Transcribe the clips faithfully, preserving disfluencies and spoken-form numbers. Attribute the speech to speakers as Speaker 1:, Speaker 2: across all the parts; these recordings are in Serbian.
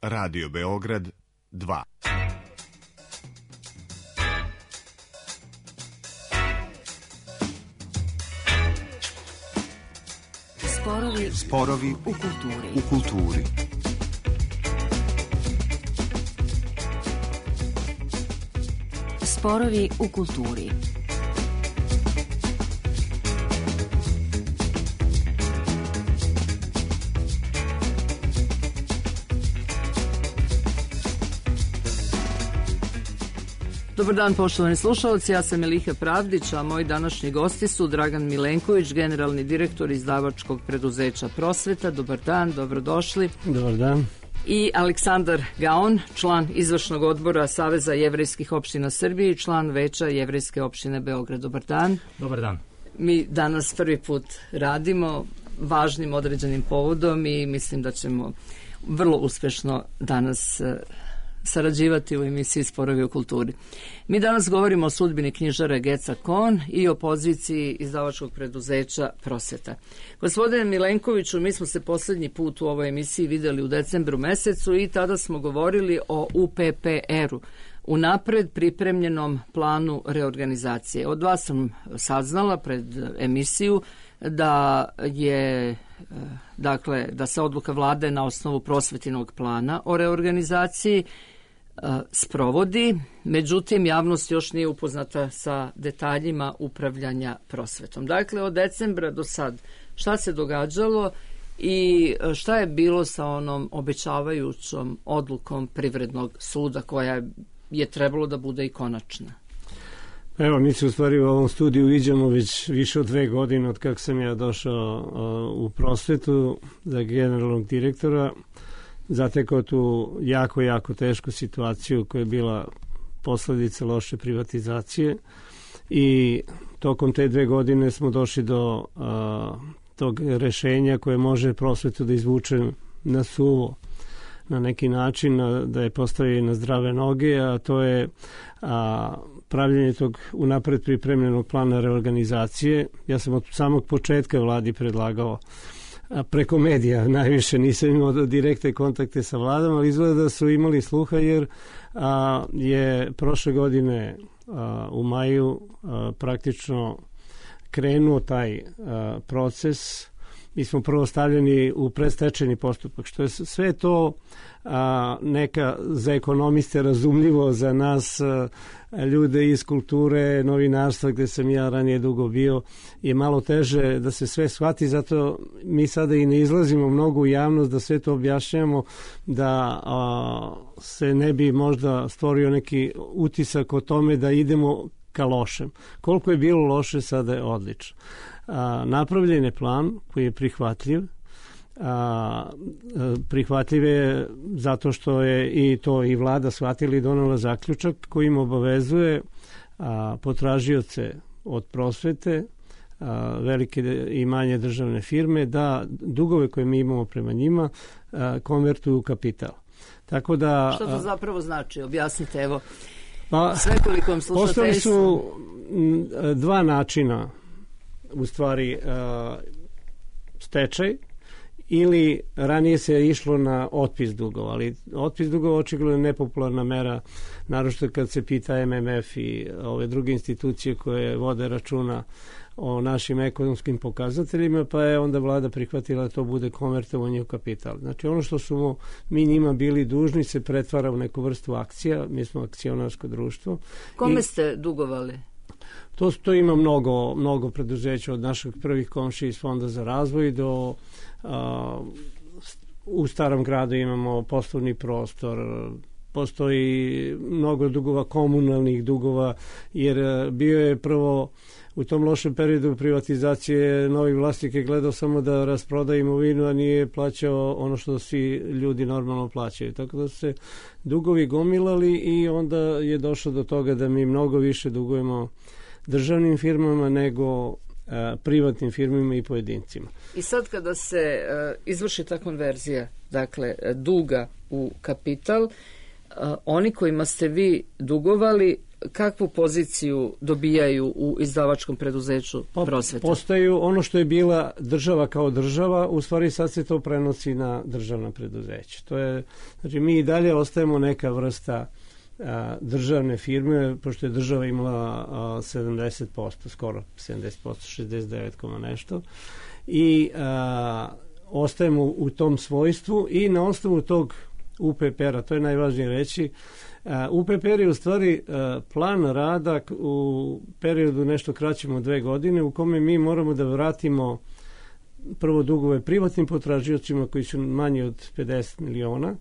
Speaker 1: Radio Beograd dva.
Speaker 2: Sporovi,
Speaker 1: Sporovi
Speaker 2: u kulturi.
Speaker 1: U kulturi.
Speaker 2: Sporovi u kulturi.
Speaker 3: Dobar dan, poštovani slušalci, ja sam Eliha Pravdić, a moji današnji gosti su Dragan Milenković, generalni direktor izdavačkog preduzeća Prosveta. Dobar dan, dobrodošli.
Speaker 4: Dobar dan.
Speaker 3: I Aleksandar Gaon, član izvršnog odbora Saveza jevrejskih opština Srbije i član veća Jevrejske opštine Beograd. Dobar dan.
Speaker 4: Dobar dan.
Speaker 3: Mi danas prvi put radimo važnim određenim povodom i mislim da ćemo vrlo uspešno danas sarađivati u emisiji Sporovi u kulturi. Mi danas govorimo o sudbini knjižara Geca Kohn i o poziciji izdavačkog preduzeća Prosveta. Gospodine Milenkoviću, mi smo se poslednji put u ovoj emisiji videli u decembru mesecu i tada smo govorili o U P P R-u, unapred pripremljenom planu reorganizacije. Od vas sam saznala pred emisiju da je dakle da se odluka vlade na osnovu prosvetinog plana o reorganizaciji sprovodi, međutim javnost još nije upoznata sa detaljima upravljanja prosvetom. Dakle, od decembra do sad šta se događalo i šta je bilo sa onom obećavajućom odlukom Privrednog suda koja je trebalo da bude i konačna?
Speaker 4: Evo, mi se u stvari u ovom studiju viđamo već više od dve godine od kako sam ja došao uh, u prosvetu za generalnog direktora. Zatekao tu jako, jako tešku situaciju koja je bila posledica loše privatizacije i tokom te dve godine smo došli do uh, tog rešenja koje može prosvetu da izvuče na suvo na neki način, da je postavi na zdrave noge, a to je a, pravljenje tog unapred pripremljenog plana reorganizacije. Ja sam od samog početka vladi predlagao a, preko medija, najviše nisam imao direktne kontakte sa vladom, ali izgleda da su imali sluha jer a, je prošle godine a, u maju a, praktično krenuo taj a, proces. Mi smo prvo stavljeni u predstečajni postupak, što je sve to a, neka za ekonomiste razumljivo, za nas a, ljude iz kulture, novinarstva, gde sam ja ranije dugo bio, je malo teže da se sve shvati, zato mi sada i ne izlazimo mnogo u javnost da sve to objašnjamo, da a, se ne bi možda stvorio neki utisak o tome da idemo ka lošem. Koliko je bilo loše, sada je odlično. A, napravljen je plan koji je prihvatljiv. A, prihvatljiv je zato što je i to i vlada shvatila i donela zaključak kojim obavezuje a, potražioce od prosvete, a, velike i manje državne firme, da dugove koje mi imamo prema njima a, konvertuju u kapital. Tako da,
Speaker 3: što to zapravo znači? Objasnite, evo.
Speaker 4: Pa,
Speaker 3: svekolikom slušateljstvu.
Speaker 4: Postoji su dva načina, u stvari uh, stečaj ili ranije se išlo na otpis dugova, ali otpis dugova očigledno je nepopularna mera, naročito kad se pita M M F i ove druge institucije koje vode računa o našim ekonomskim pokazateljima, pa je onda vlada prihvatila da to bude konvertovanje u kapital. Znači ono što smo mi njima bili dužni se pretvara u neku vrstu akcija, mi smo akcionarsko društvo.
Speaker 3: Kome
Speaker 4: I
Speaker 3: ste dugovali?
Speaker 4: To, to ima mnogo, mnogo preduzeća od naših prvih komšija iz Fonda za razvoj do a, u Starom gradu imamo poslovni prostor, postoji mnogo dugova, komunalnih dugova, jer bio je prvo u tom lošem periodu privatizacije novi vlasnik je gledao samo da rasproda imovinu, a nije plaćao ono što svi ljudi normalno plaćaju. Tako da su se dugovi gomilali i onda je došlo do toga da mi mnogo više dugujemo državnim firmama nego a, privatnim firmama i pojedincima.
Speaker 3: I sad kada se a, izvrši ta konverzija, dakle duga u kapital, a, oni kojima ste vi dugovali kakvu poziciju dobijaju u izdavačkom preduzeću Prosveta?
Speaker 4: Postaju ono što je bila država kao država, u stvari sad se to prenosi na državna preduzeća. To je, znači mi i dalje ostajemo neka vrsta a, državne firme, pošto je država imala a, sedamdeset posto, skoro sedamdeset posto, šezdeset devet komma nešto, i a, ostajemo u tom svojstvu i na osnovu tog U P P R-a, to je najvažnije reći. U P P R je u stvari plan rada u periodu nešto kraćem od dve godine u kome mi moramo da vratimo prvo dugove privatnim potražiocima koji su manji od pedeset miliona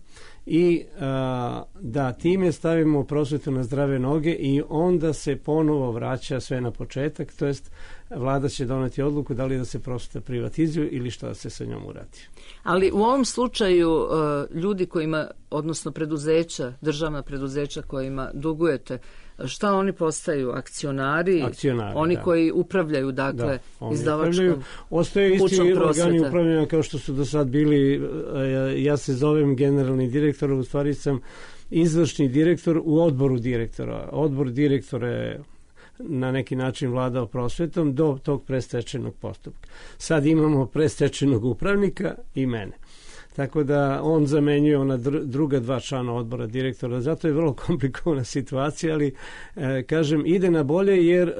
Speaker 4: i a, da time stavimo prosvetu na zdrave noge i onda se ponovo vraća sve na početak, to jest vlada će doneti odluku da li da se prosveta privatizuje ili šta da se sa njom uradi.
Speaker 3: Ali u ovom slučaju ljudi kojima, odnosno preduzeća, državna preduzeća kojima dugujete, šta oni postaju? Akcionari?
Speaker 4: Akcionari,
Speaker 3: oni
Speaker 4: da. Koji
Speaker 3: upravljaju, dakle,
Speaker 4: da,
Speaker 3: izdavačkom
Speaker 4: ostaje isti organi upravljanja kao što su do sad bili. Ja se zovem generalni direktor, u stvari sam izvršni direktor u odboru direktora. Odbor direktora je na neki način vladao prosvetom do tog predstečajnog postupka. Sad imamo predstečajnog upravnika i mene. Tako da on zamenjuje ona druga dva člana odbora direktora. Zato je vrlo komplikovana situacija, ali e, kažem, ide na bolje jer e,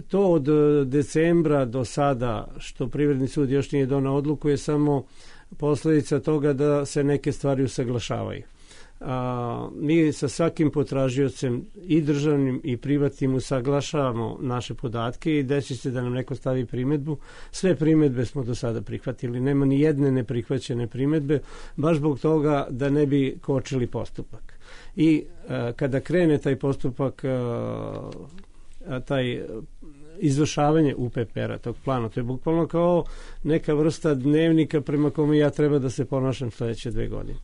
Speaker 4: to od decembra do sada, što Privredni sud još nije donao odluku, je samo posledica toga da se neke stvari usaglašavaju. A, mi sa svakim potražiocem i državnim i privatnim usaglašavamo naše podatke i desi se da nam neko stavi primedbu. Sve primedbe smo do sada prihvatili, nema ni jedne neprihvaćene primedbe, baš zbog toga da ne bi kočili postupak. I a, kada krene taj postupak, a, a, taj izvršavanje U P P R-a, tog plana, to je bukvalno kao neka vrsta dnevnika prema kome ja treba da se ponašam sledeće dve godine.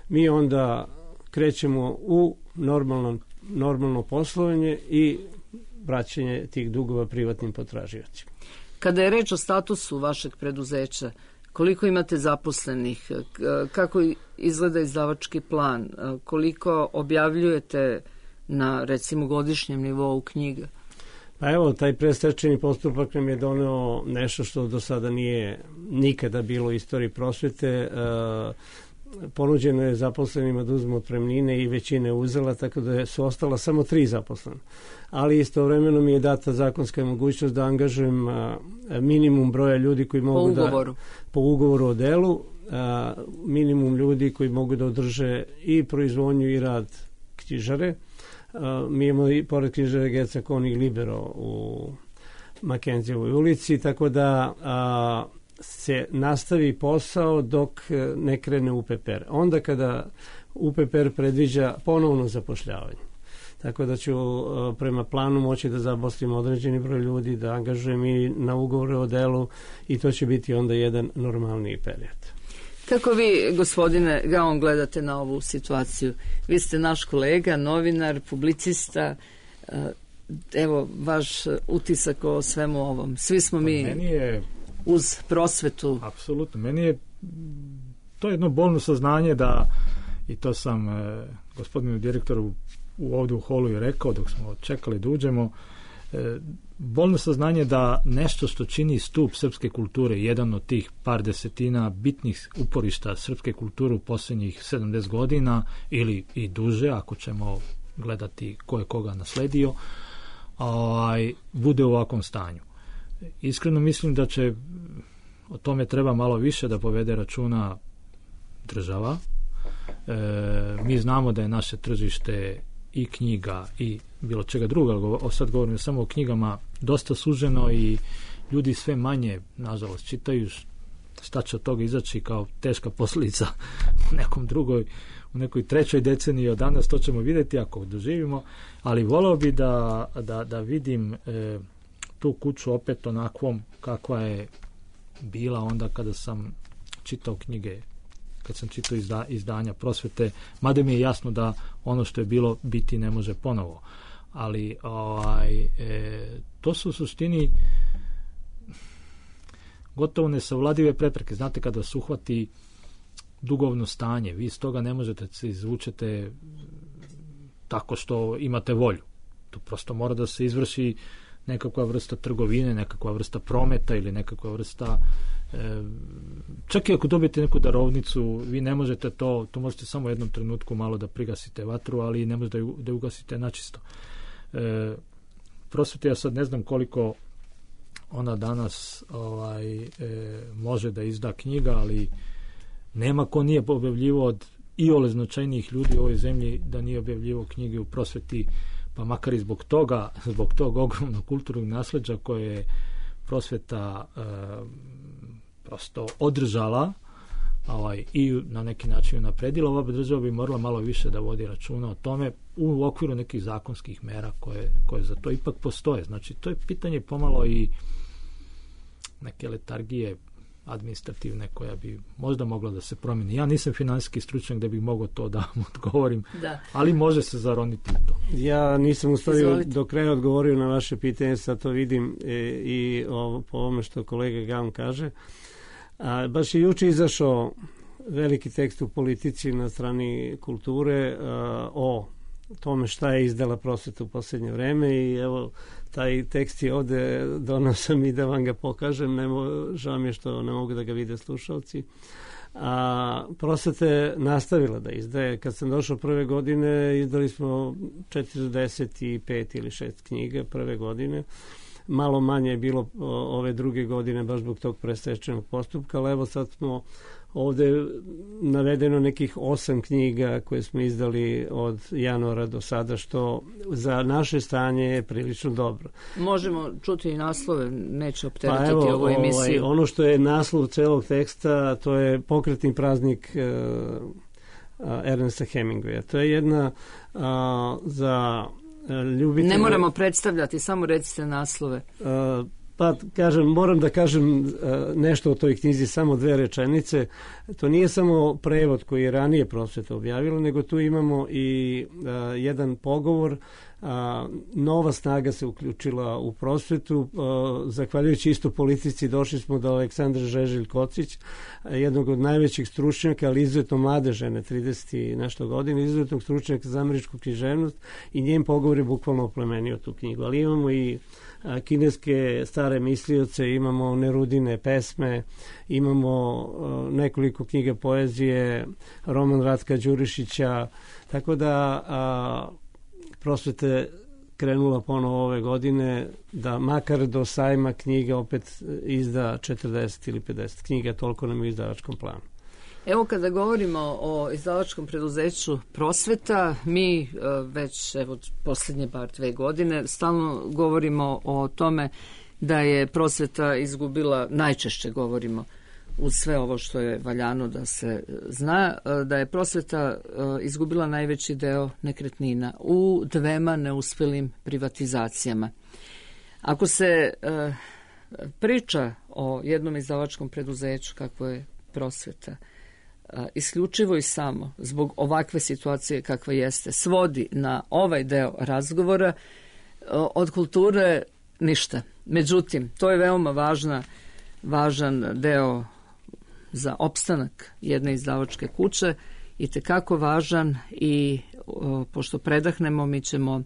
Speaker 4: Mi onda krećemo u normalno, normalno poslovanje i vraćanje tih dugova privatnim potražiocima.
Speaker 3: Kada je reč o statusu vašeg preduzeća, koliko imate zaposlenih, kako izgleda izdavački plan, koliko objavljujete na, recimo, godišnjem nivou knjiga?
Speaker 4: Pa evo, taj predstečajni postupak nam je doneo nešto što do sada nije nikada bilo u istoriji prosvete. Ponuđeno je zaposlenima da uzmu otpremnine i većina je uzela, tako da su ostala samo tri zaposlena. Ali istovremeno mi je data zakonska mogućnost da angažujem minimum broja ljudi koji mogu
Speaker 3: po ugovoru.
Speaker 4: da... Po ugovoru o delu. A, minimum ljudi koji mogu da održe i proizvodnju i rad knjižare. A, mi imamo i pored knjižare Geca Konig Libero u Makenzijevoj ulici, tako da... A, se nastavi posao dok ne krene U P P R. Onda kada U P P R predviđa ponovno zapošljavanje. Tako da ću prema planu moći da zaposlim određeni broj ljudi, da angažujem i na ugovore o delu i to će biti onda jedan normalniji period.
Speaker 3: Kako vi, gospodine Gaon, gledate na ovu situaciju? Vi ste naš kolega, novinar, publicista. Evo, vaš utisak o svemu ovom. Svi smo mi...
Speaker 5: Meni je
Speaker 3: uz prosvetu.
Speaker 5: Apsolutno. Meni je to jedno bolno saznanje da, i to sam e, gospodinu direktoru u ovdje u holu i rekao dok smo čekali da uđemo, e, bolno saznanje da nešto što čini stup srpske kulture, jedan od tih par desetina bitnih uporišta srpske kulture u posljednjih sedamdeset godina ili i duže, ako ćemo gledati ko je koga nasledio, ovaj, bude u ovakvom stanju. Iskreno mislim da će o tome treba malo više da povede računa država. E, mi znamo da je naše tržište i knjiga i bilo čega druga, sad govorimo samo o knjigama, dosta suženo i ljudi sve manje, nažalost, čitaju. Šta će od toga izaći kao teška posljedica u nekom drugoj, u nekoj trećoj deceniji od danas, to ćemo vidjeti ako doživimo, ali voleo bi da, da, da vidim e, tu kuću opet onakvom kakva je bila onda kada sam čitao knjige, kad sam čitao izda, izdanja prosvete, mada mi je jasno da ono što je bilo biti ne može ponovo. Ali ovaj, e, to su u suštini gotovo nesavladive prepreke. Znate, kada se uhvati dugovno stanje, vi iz toga ne možete se izvučete tako što imate volju. Tu prosto mora da se izvrši nekakva vrsta trgovine, nekakva vrsta prometa ili nekakva vrsta e, čak i ako dobijete neku darovnicu, vi ne možete to, to možete samo u jednom trenutku malo da prigasite vatru, ali ne možete da, da ugasite načisto. E, prosvete, ja sad ne znam koliko ona danas ovaj, e, može da izda knjiga, ali nema ko nije objavljivo od iole značajnijih ljudi u ovoj zemlji da nije objavljivo knjige u prosveti, pa makar i zbog toga, zbog tog ogromnog kulturnog nasleđa koje je prosveta e, prosto održala ovaj, i na neki način napredila. Ova država bi morala malo više da vodi računa o tome u okviru nekih zakonskih mera koje, koje za to ipak postoje. Znači, to je pitanje pomalo i neke letargije administrativne koja bi možda mogla da se promeni. Ja nisam finansijski stručnjak da bih mogao to da vam odgovorim, da. Ali može se zaroniti u to.
Speaker 4: Ja nisam u stvari do kraja odgovorio na vaše pitanje, sad to vidim e, i o, po ovome što kolega Gaun kaže. A, baš je juče izašao veliki tekst u Politici na strani kulture a, o tome šta je izdala prosveta u posljednje vreme i evo taj tekst je ovde, donao sam i da vam ga pokažem, nemo, žao mi je što ne mogu da ga vide slušalci. A prosveta je nastavila da izdaje. Kad sam došao prve godine, izdali smo četrdeset pet ili šest knjiga prve godine. Malo manje je bilo ove druge godine baš zbog tog prestečenog postupka, ali evo sad smo ovde navedeno nekih osam knjiga koje smo izdali od januara do sada, što za naše stanje je prilično dobro.
Speaker 3: Možemo čuti i naslove, neće opteretiti
Speaker 4: pa evo,
Speaker 3: ovu emisiju.
Speaker 4: Ovaj, ono što je naslov celog teksta, to je Pokretni praznik uh, Ernesta Hemingwaya. To je jedna uh, za ljubitelje...
Speaker 3: Ne moramo predstavljati, samo recite naslove.
Speaker 4: Uh, Pa, kažem, moram da kažem uh, nešto o toj knjizi, samo dve rečenice. To nije samo prevod koji je ranije prosveta objavila, nego tu imamo i uh, jedan pogovor. Uh, nova snaga se uključila u prosvetu. Uh, zahvaljujući isto Politici došli smo do Aleksandra Žeželj-Kocić, jednog od najvećih stručnjaka, ali izuzetno mlade žene, trideset i nešto godina, izuzetnog stručnjaka za američku književnost i njen pogovor je bukvalno oplemenio tu knjigu. Ali imamo i kineske stare mislioce, imamo Nerudine pesme, imamo uh, nekoliko knjiga poezije, roman Ratka Đurišića, tako da uh, prosvete krenula ponovo ove godine da makar do sajma knjiga opet izda četrdeset ili pedeset knjiga, toliko nam je u izdavačkom planu.
Speaker 3: Evo kada govorimo o izdavačkom preduzeću Prosveta, mi e, već evo posljednje bar dve godine stalno govorimo o tome da je Prosveta izgubila, najčešće govorimo uz sve ovo što je valjano da se zna, da je Prosveta e, izgubila najveći deo nekretnina u dvema neuspelim privatizacijama. Ako se e, priča o jednom izdavačkom preduzeću kakvo je Prosveta, isključivo i samo zbog ovakve situacije kakva jeste, svodi na ovaj deo razgovora, od kulture ništa. Međutim, to je veoma važna, važan deo za opstanak jedne izdavačke kuće, i tekako važan, i o, pošto predahnemo, mi ćemo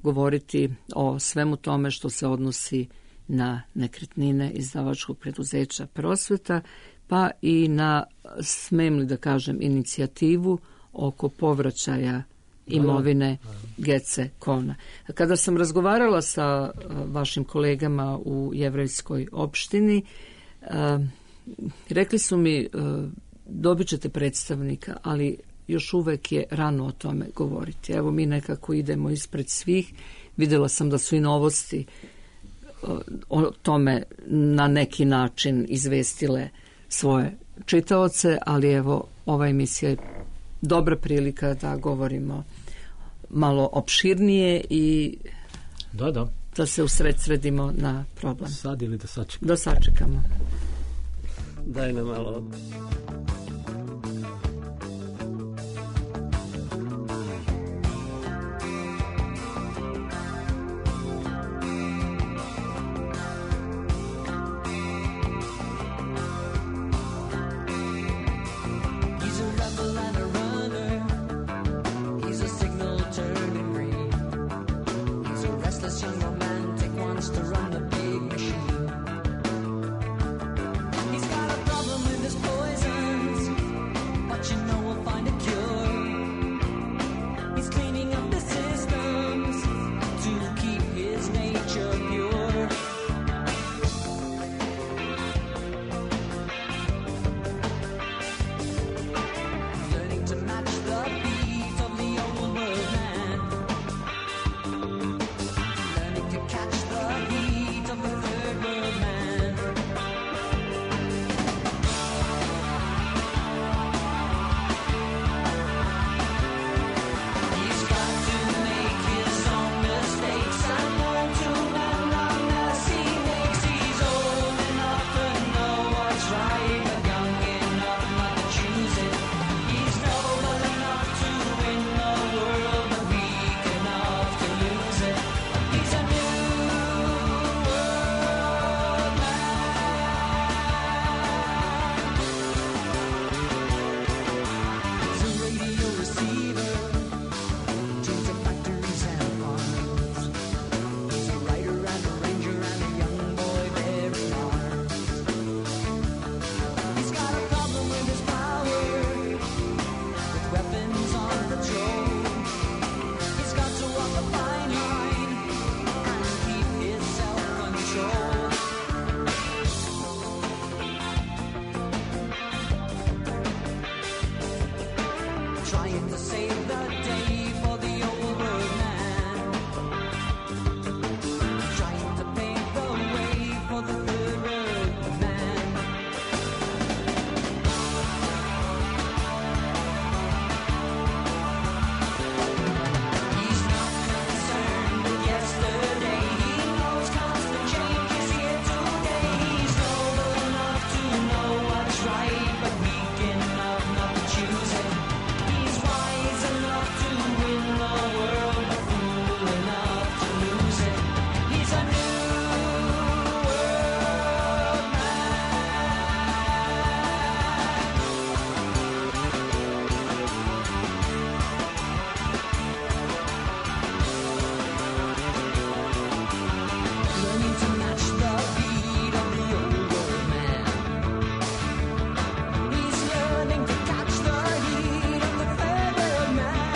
Speaker 3: govoriti o svemu tome što se odnosi na nekretnine izdavačkog preduzeća Prosveta, pa i na, smem li da kažem, inicijativu oko povraćaja imovine Gece Kona. Kada sam razgovarala sa vašim kolegama u jevrejskoj opštini, rekli su mi, dobit ćete predstavnika, ali još uvek je rano o tome govoriti. Evo, mi nekako idemo ispred svih. Videla sam da su i Novosti o tome na neki način izvestile svoje čitaoce, ali evo, ova emisija je dobra prilika da govorimo malo opširnije i
Speaker 5: da, da.
Speaker 3: da se usredsredimo na problem.
Speaker 5: Sad ili da sačekamo?
Speaker 3: Da sačekamo.
Speaker 4: Daj nam malo.
Speaker 6: He's a trying to save the day for the old world man, trying to pave the way for the third world man. He's not concerned with yesterday, he knows constant change is here today. He's noble enough to know what's right, but weak enough not to choose it. He's wise enough to win the world, but fool enough to lose it. He's a new world man. Learning to match the beat of the old world man. He's learning to catch the heat of the third world man.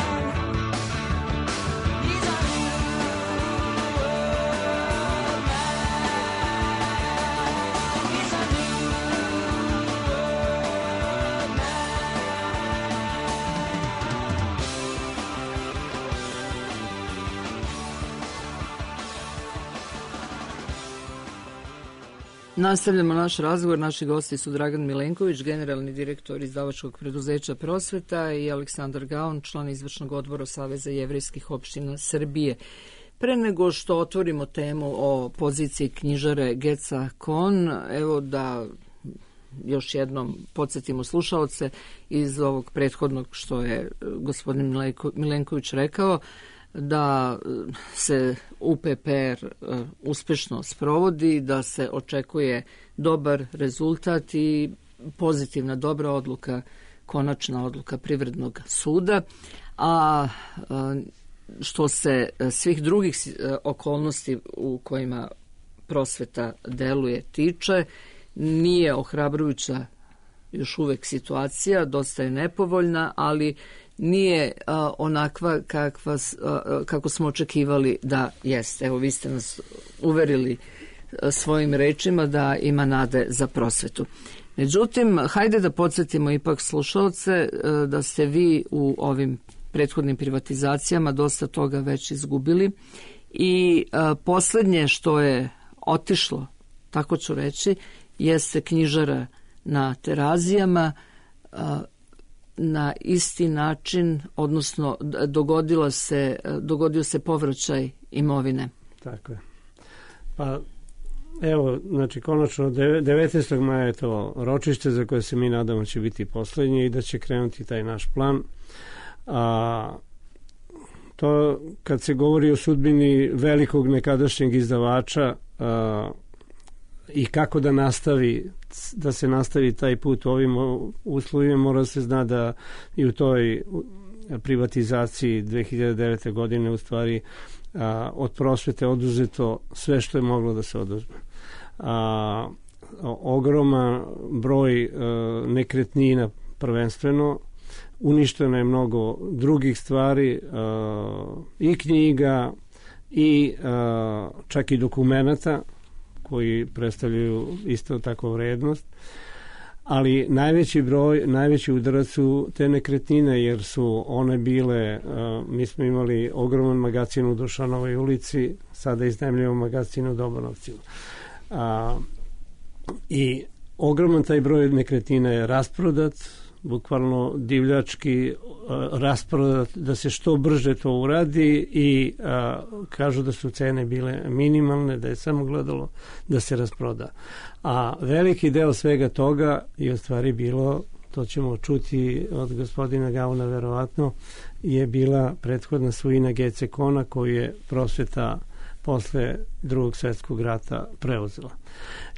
Speaker 6: He's a new world man. He's a new world man.
Speaker 3: Nastavljamo naš razgovor. Naši gosti su Dragan Milenković, generalni direktor izdavačkog preduzeća Prosveta, i Aleksandar Gaon, član izvršnog odbora Saveza jevrejskih opština Srbije. Pre nego što otvorimo temu o poziciji knjižare Geca Kon, evo da još jednom podsjetimo slušaoce iz ovog prethodnog što je gospodin Milenko- Milenković rekao, da se U P P R uh, uspešno sprovodi, da se očekuje dobar rezultat i pozitivna dobra odluka, konačna odluka Privrednog suda, a uh, što se uh, svih drugih uh, okolnosti u kojima prosveta deluje tiče, nije ohrabrujuća još uvek situacija, dosta je nepovoljna, ali nije a, onakva kakva, a, kako smo očekivali da jeste. Evo, vi ste nas uverili a, svojim rečima da ima nade za prosvetu. Međutim, hajde da podsjetimo ipak slušalce a, da ste vi u ovim prethodnim privatizacijama dosta toga već izgubili i a, poslednje što je otišlo, tako ću reći, jeste knjižara na Terazijama, a, na isti način, odnosno dogodilo se, dogodio se povraćaj imovine.
Speaker 4: Tako je. Pa evo, znači konačno devetnaestog maja je to ročište za koje se mi nadamo će biti poslednje i da će krenuti taj naš plan. A to kad se govori o sudbini velikog nekadašnjeg izdavača a, i kako da nastavi da se nastavi taj put u ovim uslovima, mora se zna da i u toj privatizaciji dve hiljade devete. godine u stvari a, od prosvete oduzeto sve što je moglo da se oduzme. A, ogroman broj a, nekretnina prvenstveno, uništeno je mnogo drugih stvari, a, i knjiga i a, čak i dokumenata koji predstavljaju isto tako vrednost, ali najveći broj, najveći udarac su te nekretnine, jer su one bile, uh, mi smo imali ogroman magacin u Dušanovoj ulici, sada iznajmljujemo magacin u Dobanovcima. Uh, I ogroman taj broj nekretnina je rasprodat, bukvalno divljački uh, rasprodat, da se što brže to uradi i uh, kažu da su cene bile minimalne, da je samo gledalo da se rasproda. A veliki deo svega toga je u stvari bilo, to ćemo čuti od gospodina Gauna verovatno, je bila prethodna svojina Gece Kona koju je prosveta posle drugog svjetskog rata preuzela.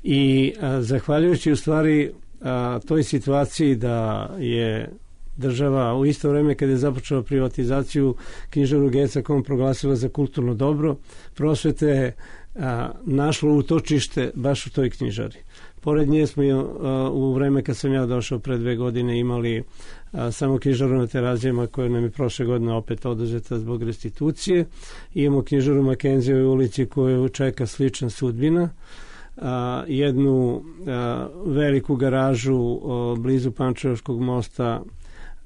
Speaker 4: I uh, zahvaljujući u stvari a, toj situaciji da je država u isto vreme kada je započela privatizaciju knjižaru Geca Kon proglasila za kulturno dobro, prosvete je našlo utočište baš u toj knjižari. Pored nje smo a, u vreme kad sam ja došao pre dve godine imali a, samo knjižaru na Terazijama koja nam je prošle godine opet oduzeta zbog restitucije. Imamo knjižaru Makenzijevoj ulici koju čeka slična sudbina. A, jednu a, veliku garažu a, blizu Pančevačkog mosta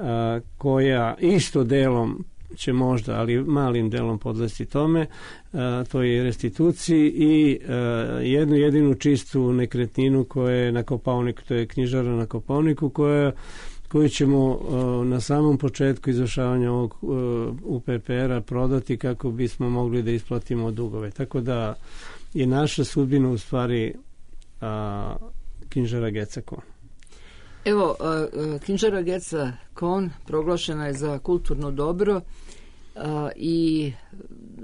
Speaker 4: a, koja isto delom će možda, ali malim delom podlesti tome, a, to je restituciji i a, jednu jedinu čistu nekretninu koja je na Kopaoniku, to je knjižara na Kopaoniku, koja koju ćemo a, na samom početku izvršavanja ovog a, U P P R-a prodati kako bismo mogli da isplatimo dugove. Tako da je naša sudbina u stvari a, knjižara Geca Kon.
Speaker 3: Evo, a, a, knjižara Geca Kon proglašena je za kulturno dobro a, i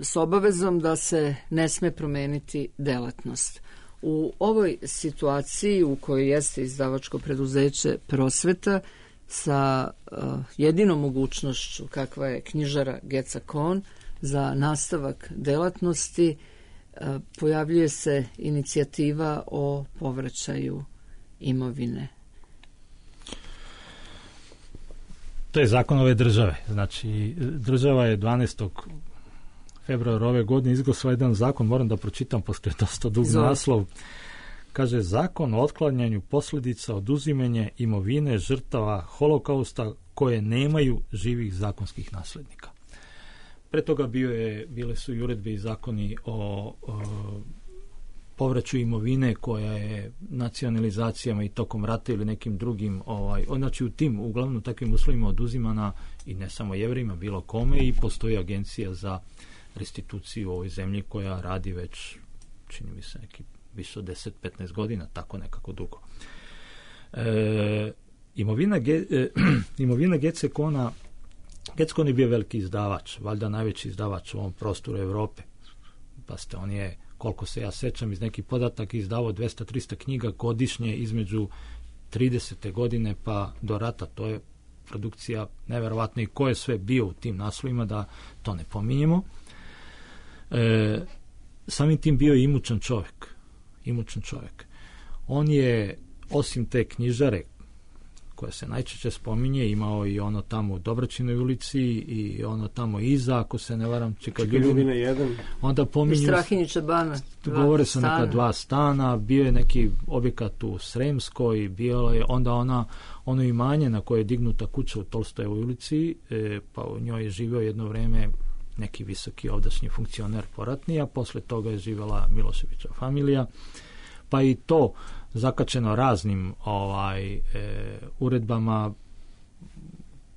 Speaker 3: s obavezom da se ne sme promeniti delatnost. U ovoj situaciji u kojoj jeste izdavačko preduzeće Prosveta sa uh, jedinom mogućnošću kakva je knjižara Geca Kon za nastavak delatnosti, uh, pojavljuje se inicijativa o povraćaju imovine.
Speaker 5: To je zakon ove države. Znači, država je dvanaestog februara ove godine izglasala jedan zakon, moram da pročitam, pošto je dosta dug
Speaker 3: Zove.
Speaker 5: naslov. Kaže, zakon o otklanjanju posljedica oduzimanja imovine žrtava holokausta koje nemaju živih zakonskih naslednika. Pre toga bio je, bile su i uredbe i zakoni o, o povraću imovine koja je nacionalizacijama i tokom rata ili nekim drugim, ovaj, znači u tim, uglavnom takvim uslovima oduzimana i ne samo Jevrejima, bilo kome, i postoji agencija za restituciju u ovoj zemlji koja radi već, čini mi se, neki više od deset do petnaest godina, tako nekako dugo. E, imovina, ge, e, imovina Gece Kona, Gece Kon je bio veliki izdavač, valjda najveći izdavač u ovom prostoru Evrope. Pa ste, on je, koliko se ja sećam iz nekih podataka, izdavao dvesta do trista knjiga godišnje između tridesete godine pa do rata. To je produkcija neverovatna, i ko je sve bio u tim naslovima, da to ne pominjemo. E, samim tim bio je imućan čovjek. imućan čovjek. On je, osim te knjižare koja se najčešće spominje, imao i ono tamo u Dobračinoj ulici i ono tamo iza, ako se ne varam, Čika Ljubina jedan. Onda pominju,
Speaker 3: Strahinjića bana,
Speaker 5: govore se neka dva stana, bio je neki objekat u Sremskoj, bio je onda ona, ono imanje na koje je dignuta kuća u Tolstojevoj ulici, e, pa u njoj je živio jedno vreme neki visoki ovdašnji funkcioner poratni, a posle toga je živjela Miloševića familija, pa i to zakačeno raznim ovaj e, uredbama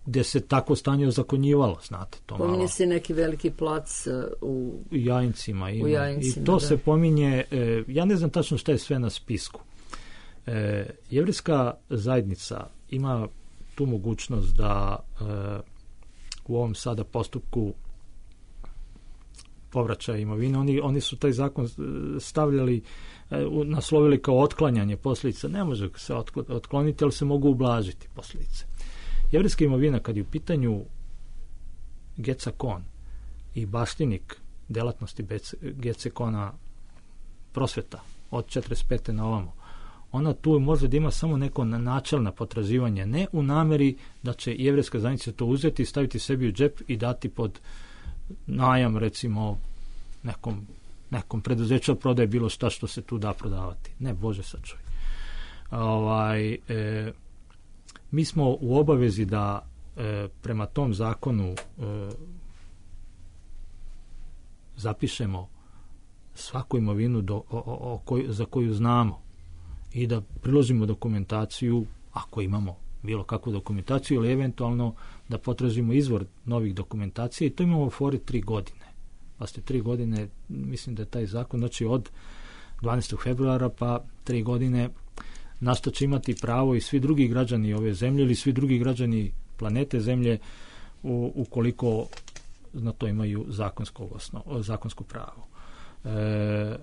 Speaker 5: gdje se tako stanje ozakonjivalo, znate, to malo.
Speaker 3: Pominje se neki veliki plac u,
Speaker 5: u Jajincima, ima.
Speaker 3: u Jajincima,
Speaker 5: i to
Speaker 3: da.
Speaker 5: se pominje, e, ja ne znam tačno šta je sve na spisku. E, Jevrejska zajednica ima tu mogućnost da e, u ovom sada postupku povraćaja imovine, oni, oni su taj zakon stavljali, naslovili kao otklanjanje posljedica. Ne može se otkloniti, ali se mogu ublažiti posljedice. Jevrejska imovina, kad je u pitanju Geca Kon i baštinik delatnosti Gece Kona Prosveta od četrdeset pete na ovamo, ona tu može da ima samo neko načelna potraživanje, ne u nameri da će jevrejska zajednica to uzeti, staviti sebi u džep i dati pod najam, recimo, nekom, nekom preduzeću prodaje bilo šta što se tu da prodavati. Ne, Bože sačuvaj. Ovaj, e, mi smo u obavezi da e, prema tom zakonu e, zapišemo svaku imovinu do, o, o, o koj, za koju znamo i da priložimo dokumentaciju, ako imamo bilo kakvu dokumentaciju, ili eventualno da potražimo izvor novih dokumentacija, i to imamo u fori tri godine. Pa ste tri godine, mislim da je taj zakon, znači od dvanaestog februara pa tri godine, na što će imati pravo i svi drugi građani ove zemlje ili svi drugi građani planete Zemlje, u, ukoliko na to imaju zakonsko, osnov, zakonsko pravo. E,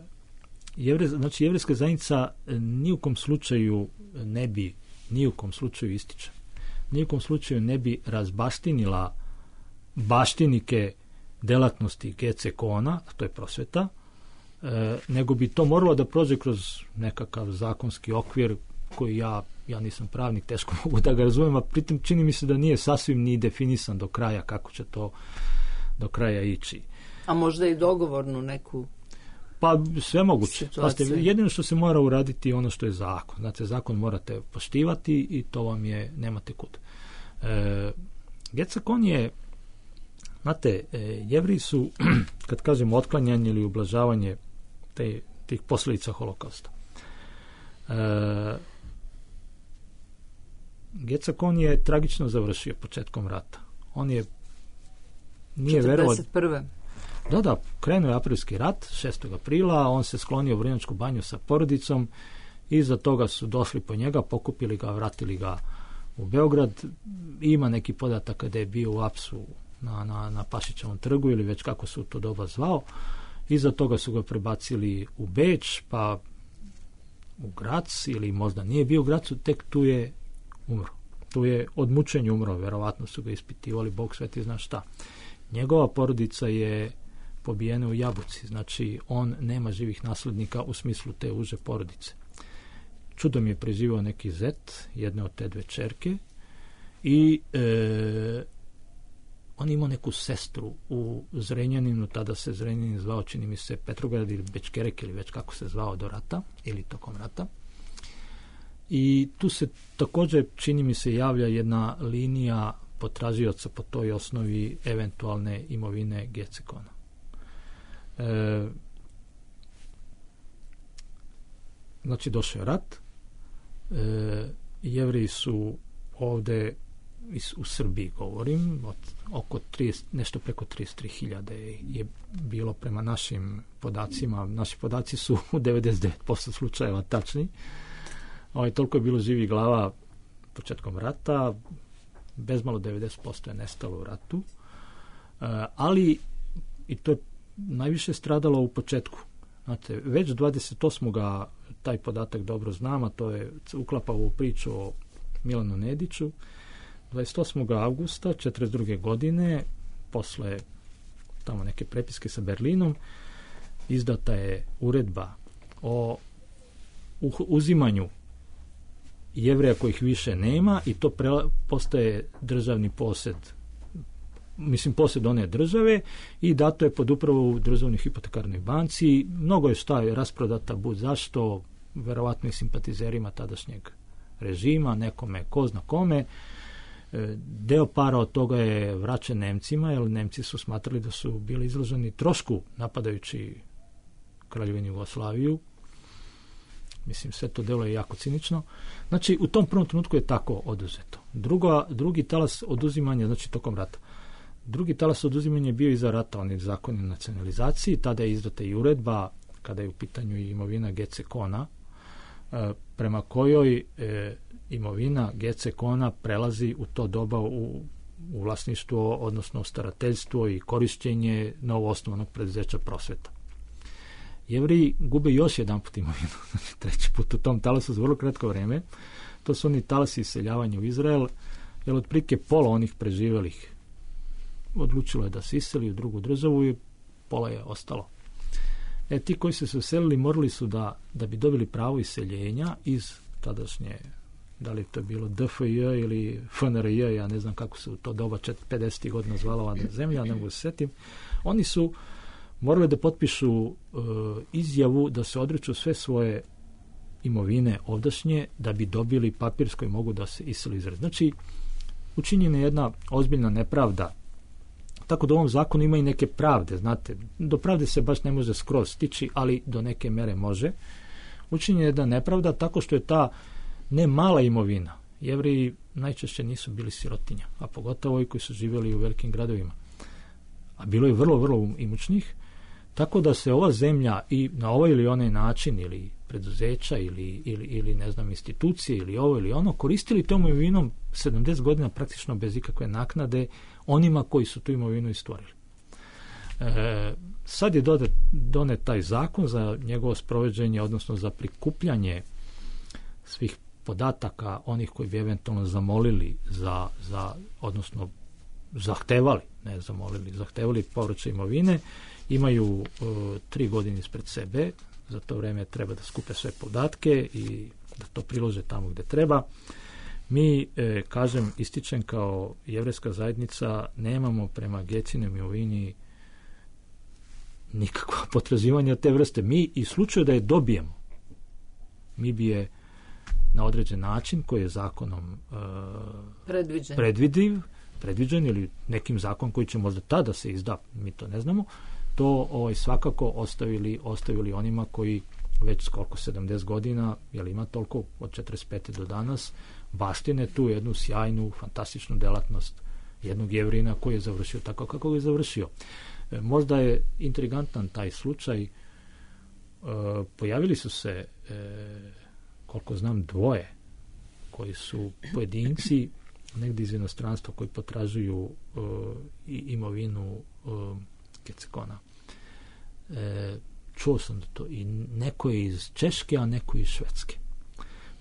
Speaker 5: jevre, znači jevrejska zajednica ni u kom slučaju ne bi ni u kom slučaju ističe. Ni u kom slučaju ne bi razbaštinila baštinike delatnosti Gece Kona, to je Prosveta, e, nego bi to moralo da prođe kroz nekakav zakonski okvir koji ja, ja nisam pravnik, teško mogu da ga razumijem, a pritom čini mi se da nije sasvim ni definisan do kraja kako će to do kraja ići.
Speaker 3: A možda i dogovornu neku
Speaker 5: Pa sve moguće. Pazite, jedino što se mora uraditi je ono što je zakon. Znate, zakon morate poštivati i to vam je, nemate kud. E, Gecekon je, znate, e, Jevriji su, kad kažemo otklanjanje ili ublažavanje te, tih posljedica holokausta, e, Gecekon je tragično završio početkom rata. On je nije verovao.
Speaker 3: četrdeset prve
Speaker 5: Da, da, krenuo je aprilski rat, šestog aprila, on se sklonio u Vrnjačku banju sa porodicom, iza toga su došli po njega, pokupili ga, vratili ga u Beograd. Ima neki podatak da je bio u apsu na, na, na Pašićevom trgu ili već kako se u to doba zvao. Iza toga su ga prebacili u Beč, pa u Grac, ili možda nije bio u Gracu, tek tu je umro. Tu je od mučenja umro, verovatno su ga ispitivali, Bog sveti zna šta. Njegova porodica je pobijena u Jabuci, znači on nema živih naslednika u smislu te uže porodice. Čudom je preživao neki zet, jedne od te dve čerke, i e, on imao neku sestru u Zrenjaninu, tada se Zrenjanin zvao, čini mi se, Petrograd ili Bečkerek ili već kako se zvao do rata ili tokom rata. I tu se također, čini mi se, javlja jedna linija potražioca po toj osnovi eventualne imovine Gecekona. E, znači, došao je rat. E, Jevriji su ovde u Srbiji, govorim, od oko trideset, nešto preko trideset tri hiljade je bilo prema našim podacima. Naši podaci su u devedeset devet posto slučajeva tačni. Ovaj, toliko je bilo živih glava početkom rata, bezmalo devedeset posto je nestalo u ratu, e, ali i to je najviše stradalo u početku. Znate, već dvadeset osmog taj podatak dobro znam, a to je uklapa u priču o Milanu Nediću. dvadeset osmog avgusta četrdeset druge godine, posle tamo neke prepiske sa Berlinom, izdata je uredba o uzimanju Jevreja kojih više nema, i to pre, postaje državni posed, mislim posed one države, i dato je pod upravu u državnoj hipotekarnoj banci. Mnogo je šta je rasprodata bud zašto, verovatno i simpatizerima tadašnjeg režima, nekome ko zna kome. Deo para od toga je vraćen Nemcima, jer Nemci su smatrali da su bili izloženi trošku napadajući Kraljevinu Jugoslaviju. Mislim, sve to delo je jako cinično. Znači, u tom prvom trenutku je tako oduzeto. Drugo, drugi talas oduzimanja, znači tokom rata. Drugi talas oduzimanja je bio iza rata, on je zakon o nacionalizaciji, tada je izdata i uredba, kada je u pitanju imovina Gecekona, e, prema kojoj e, imovina Gecekona prelazi u to doba u, u vlasništvo, odnosno starateljstvo i korišćenje novoosnovanog preduzeća Prosveta. Jevriji gube još jedan put imovinu, znači treći put u tom talasu za vrlo kratko vreme. To su oni talasi iseljavanja u Izrael, jer otprilike pola onih preživjelih odlučilo je da se iseli u drugu državu i pola je ostalo. E, ti koji su se uselili morali su da, da bi dobili pravo iseljenja iz tadašnje, da li to je bilo D F J ili F N R J, ja ne znam kako se u to doba pedesetih godina zvala ova zemlja, ne mogu se setim. Oni su morali da potpišu uh, izjavu da se odriču sve svoje imovine ovdašnje da bi dobili papir s kojim mogu da se iseli izraz. Znači, učinjena je jedna ozbiljna nepravda. Tako da u ovom zakonu ima i neke pravde, znate. Do pravde se baš ne može skroz stići, ali do neke mere može. Učinjena je jedna nepravda tako što je ta ne mala imovina. Jevreji najčešće nisu bili sirotinja, a pogotovo ovi koji su živjeli u velikim gradovima. A bilo je vrlo, vrlo imućnih. Tako da se ova zemlja i na ovaj ili onaj način, ili preduzeća, ili, ili, ili ne znam, institucije, ili ovo ili ono, koristili tom imovinom sedamdeset godina praktično bez ikakve naknade onima koji su tu imovinu istvorili. E, sad je dodat, donet taj zakon za njegovo sprovođenje, odnosno za prikupljanje svih podataka onih koji bi eventualno zamolili za, za odnosno zahtevali, ne zamolili, zahtevali povraćaj imovine. Imaju uh, tri godine ispred sebe, za to vreme treba da skupe sve podatke i da to prilože tamo gde treba. Mi, e, kažem, ističem kao jevrejska zajednica, nemamo prema Gecinoj imovini nikakva potraživanja te vrste. Mi, i slučaju da je dobijemo, mi bi je na određen način koji je zakonom e,
Speaker 3: Predviđen.
Speaker 5: predvidiv, predviđen ili nekim zakon koji će možda tada se izda, mi to ne znamo, to ovaj, svakako ostavili, ostavili onima koji već koliko sedamdeset godina, jel ima toliko od četrdeset pete do danas, baštine tu jednu sjajnu, fantastičnu delatnost jednog Jevrina koji je završio tako kako je završio. E, možda je intrigantan taj slučaj. E, pojavili su se e, koliko znam dvoje koji su pojedinci negdje iz inostranstva koji potražuju e, imovinu e, Gecekona. E, čuo sam da to i neko je iz Češke, a neko iz Švedske.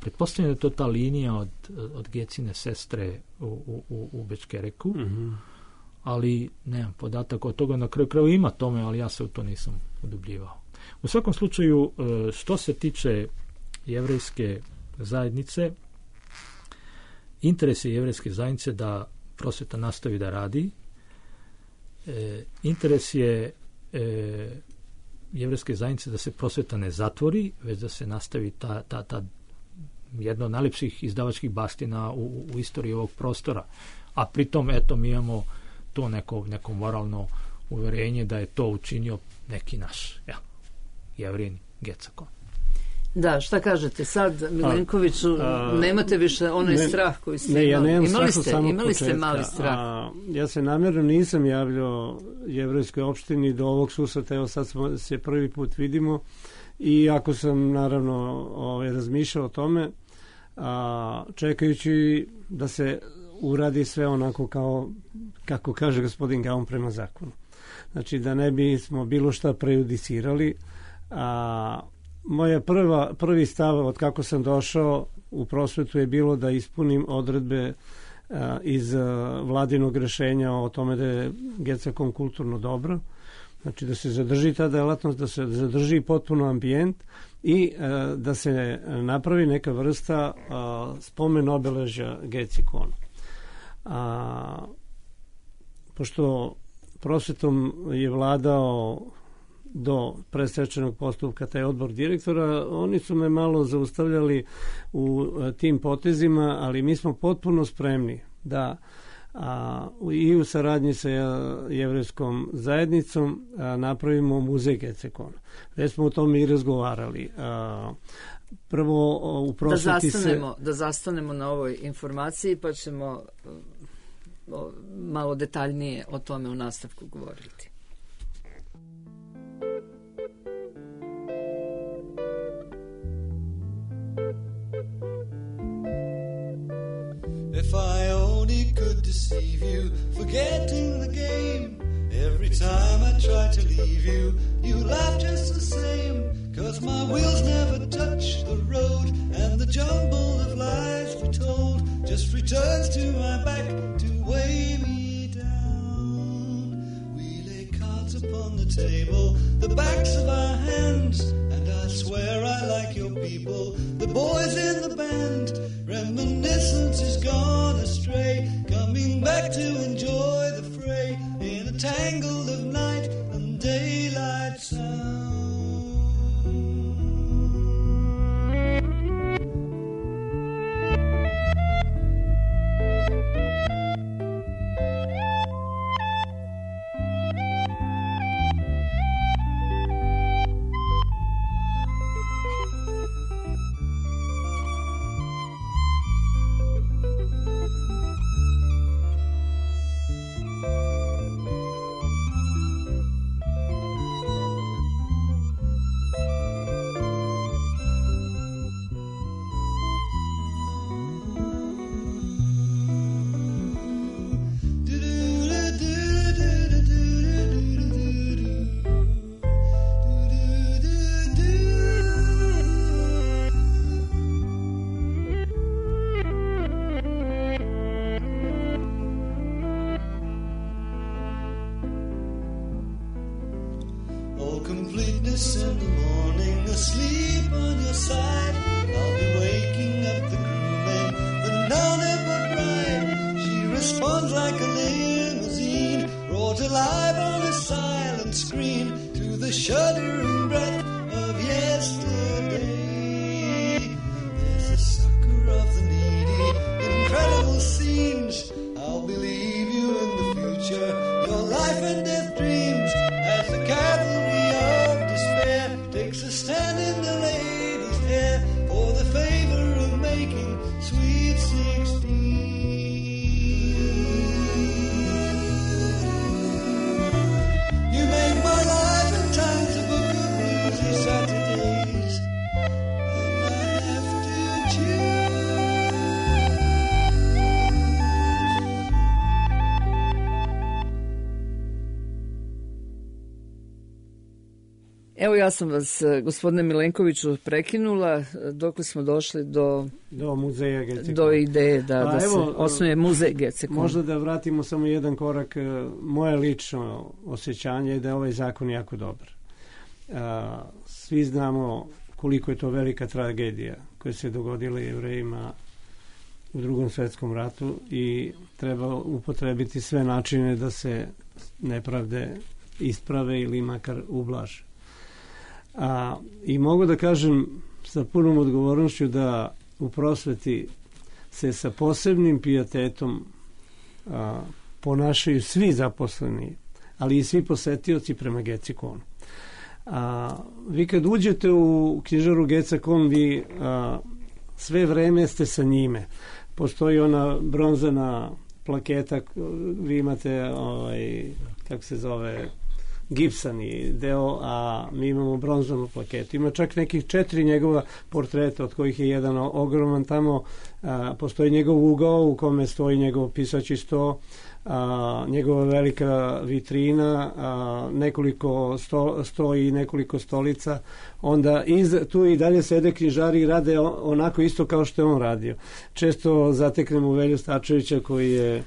Speaker 5: Pretpostavljam da je to ta linija od, od Gecine sestre u, u, u Bečkereku, mm-hmm. ali nemam podatak od toga, na kraju kraju ima tome, ali ja se u to nisam udubljivao. U svakom slučaju, što se tiče jevrejske zajednice, interes je jevrejske zajednice da prosveta nastavi da radi, e, interes je e, jevrejske zajednice da se prosveta ne zatvori, već da se nastavi ta, ta, ta jedna od najlepših izdavačkih baština u, u istoriji ovog prostora. A pritom, eto, mi imamo to neko, neko moralno uverenje da je to učinio neki naš, ja, Jevrin Gecekon.
Speaker 3: Da, šta kažete sad, Milenkoviću, a, a, nemate više onaj ne, strah koji ste
Speaker 4: ne, ja
Speaker 3: imali.
Speaker 4: Imali
Speaker 3: ste, imali ste mali strah.
Speaker 4: A, ja se namjerno nisam javljao jevrejskoj opštini do ovog susreta, evo sad smo, se prvi put vidimo i ako sam naravno ovaj, razmišljao o tome, a, čekajući da se uradi sve onako kao, kako kaže gospodin Gaon, prema zakonu. Znači da ne bismo bilo šta prejudicirali, a moja prva, prvi stav od kako sam došao u prosvetu je bilo da ispunim odredbe a, iz a, vladinog rešenja o tome da je Gecekon kulturno dobro, znači da se zadrži ta delatnost, da se zadrži potpuno ambijent i a, da se napravi neka vrsta a, spomen obeležja Gecekonu. A, pošto prosvetom je vladao do predstečajnog postupka taj odbor direktora, oni su me malo zaustavljali u tim potezima, ali mi smo potpuno spremni da a, i u saradnji sa jevrejskom zajednicom a, napravimo muzej Gecekona. Već smo o tome i razgovarali. A, prvo u prosveti
Speaker 3: da zastanemo,
Speaker 4: se...
Speaker 3: da zastanemo na ovoj informaciji, pa ćemo o, malo detaljnije o tome u nastavku govoriti.
Speaker 7: If I only could deceive you, forgetting the game. Every time I try to leave you, you laugh just the same. Cause my wheels never touch the road, and the jumble of lies we told just returns to my back to weigh me down. We lay cards upon the table, the backs of our hands, and I swear I like your people, the boys in the band. Reminiscence is gone astray, coming back to enjoy the fray in a tangle of night and daylight sound. Completeness in the morning, asleep on your side. I'll be waking up the crewmen, but none ever bride. She responds like a limousine, brought alive on a silent screen to the shuddering breath of yesterday. There's a sucker scenes. I'll believe you in the future, your life and death dreams, as the cavalry of despair takes a stand in the lady's hair for the favor of making sweet sixteen. You make my life and times a book of bluesy Saturdays, and I have to choose.
Speaker 3: Evo ja sam vas, e, gospodine Milenkoviću, prekinula dok smo došli do,
Speaker 4: Do muzeja Gecekon.
Speaker 3: do ideje da,
Speaker 4: Pa
Speaker 3: da se
Speaker 4: evo,
Speaker 3: osnuje muzej Gecekon.
Speaker 4: Možda da vratimo samo jedan korak. e, Moje lično osjećanje je da je ovaj zakon jako dobar. A, Svi znamo koliko je to velika tragedija koja se dogodila Jevrejima u Drugom svetskom ratu i treba upotrebiti sve načine da se nepravde isprave ili makar ublaže. A, I mogu da kažem sa punom odgovornošću da u prosveti se sa posebnim pijetetom a, ponašaju svi zaposleni, ali i svi posetioci prema Gecekonu. A, vi kad uđete u knjižaru Gecekon, vi a, sve vreme ste sa njime. Postoji ona bronzana plaketa, vi imate ovaj, kako se zove, gipsani deo, a mi imamo bronzanu plaketu. Ima čak nekih četiri njegova portreta, od kojih je jedan ogroman tamo. A, postoji njegov ugao u kome stoji njegov pisaći sto, a, njegova velika vitrina, a, nekoliko sto, stoji nekoliko stolica. Onda iz, tu i dalje sede knjižari i rade onako isto kao što je on radio. Često zateknemo Velju Stačevića koji je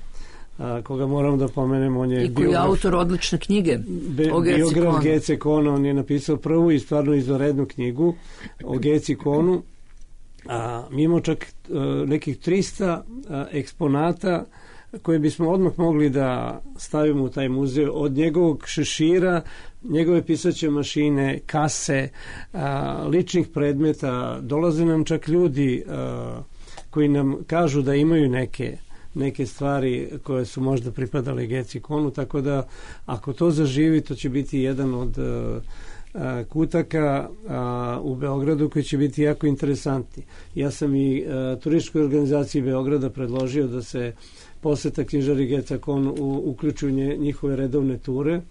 Speaker 4: a, koga moramo da pomenemo, on je
Speaker 3: I koji je
Speaker 4: biograf,
Speaker 3: autor odlične knjige
Speaker 4: be,
Speaker 3: o
Speaker 4: biograf
Speaker 3: Gecekonu.
Speaker 4: Gecekona. On je napisao prvu i stvarno izvanrednu knjigu o Gecekonu. A, mi imamo čak a, nekih trista a, eksponata koje bismo odmah mogli da stavimo u taj muzej, od njegovog šešira, njegove pisaće mašine, kase, a, ličnih predmeta. Dolaze nam čak ljudi a, koji nam kažu da imaju neke neke stvari koje su možda pripadale Gecekonu, tako da ako to zaživi, to će biti jedan od uh, kutaka a, u Beogradu koji će biti jako interesantni. Ja sam i a, turističkoj organizaciji Beograda predložio da se poseta knjižari Gecekon u, uključu u nje, njihove redovne ture.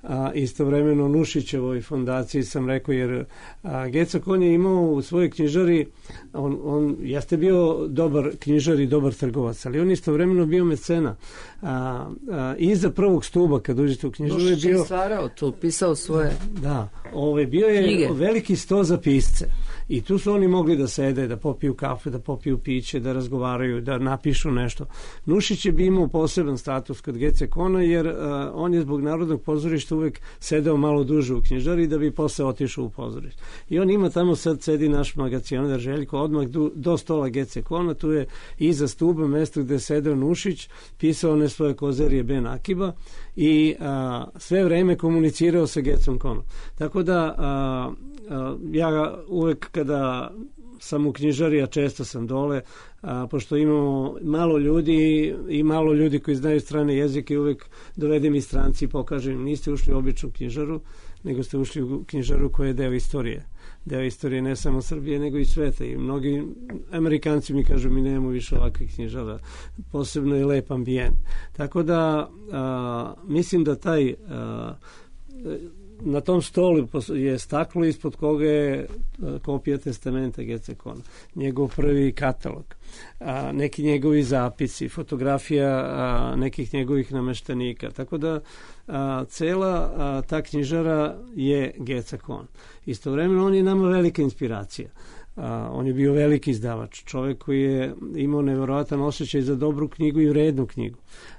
Speaker 4: A, istovremeno Nušićevoj fondaciji sam rekao, jer a, Gecekon je imao u svojoj knjižari, on, on jeste bio dobar knjižar i dobar trgovac, ali on istovremeno bio mecena. A, a, iza prvog stuba kad uđete u knjižaru je
Speaker 3: Nušić je
Speaker 4: bio...
Speaker 3: stvarao tu, pisao svoje
Speaker 4: Da, ovaj, bio je
Speaker 3: knjige.
Speaker 4: veliki sto za pisce i tu su oni mogli da sede, da popiju kafe, da popiju piće, da razgovaraju, da napišu nešto. Nušić je bi imao poseban status kod Gecekona, jer uh, on je zbog Narodnog pozorišta uvek sedeo malo duže u knjižari da bi posle otišao u pozorište. I on ima tamo, sad sedi naš magacionar Željko, odmah do, do stola Gecekona, tu je iza stuba mesto gde je sedeo Nušić, pisao one svoje kozerije Ben Akiba i a, sve vreme komunicirao sa Gecekonom. Tako da a, a, ja uvek kada sam u knjižari, a često sam dole, a, pošto imamo malo ljudi i malo ljudi koji znaju strane jezike, uvek dovedem i stranci i pokažem, niste ušli u običnu knjižaru, nego ste ušli u knjižaru koja je deo istorije. Deo istorije ne samo Srbije, nego i sveta. I mnogi Amerikanci mi kažu, mi nemamo više ovakvih knjižara. Posebno je lep ambijent. Tako da a, mislim da taj a, na tom stolu je staklo ispod koga je kopija testamenta Gecekona, njegov prvi katalog, a, neki njegovi zapisi, fotografija a, nekih njegovih nameštenika. Tako da a, cela a, ta knjižara je Gecekon. Istovremeno on je nama velika inspiracija. A, on je bio veliki izdavač, čovjek koji je imao nevjerojatan osjećaj za dobru knjigu i vrednu knjigu.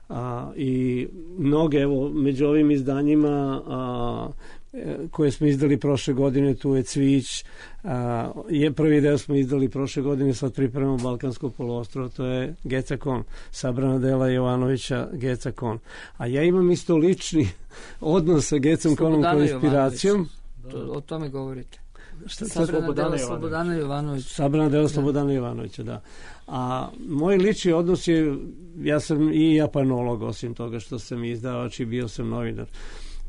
Speaker 4: A, i mnoge, evo, među ovim izdanjima a, koje smo izdali prošle godine, tu je Cvić, a, je prvi deo smo izdali prošle godine, sad pripremamo Balkansko poluostrvo, to je Gecekon, sabrana dela Jovanovića Gecekon. A ja imam isto lični odnos sa Gecekonom kao inspiracijom.
Speaker 3: To, o tome govorite.
Speaker 4: Šta,
Speaker 3: Sabrana
Speaker 5: Slobodana
Speaker 3: dela
Speaker 5: Jovanovića.
Speaker 3: Slobodana Jovanovića.
Speaker 4: Sabrana dela Slobodana Jovanovića, da. A moj lični odnos je, ja sam i japanolog, osim toga što sam izdavač i bio sam novinar.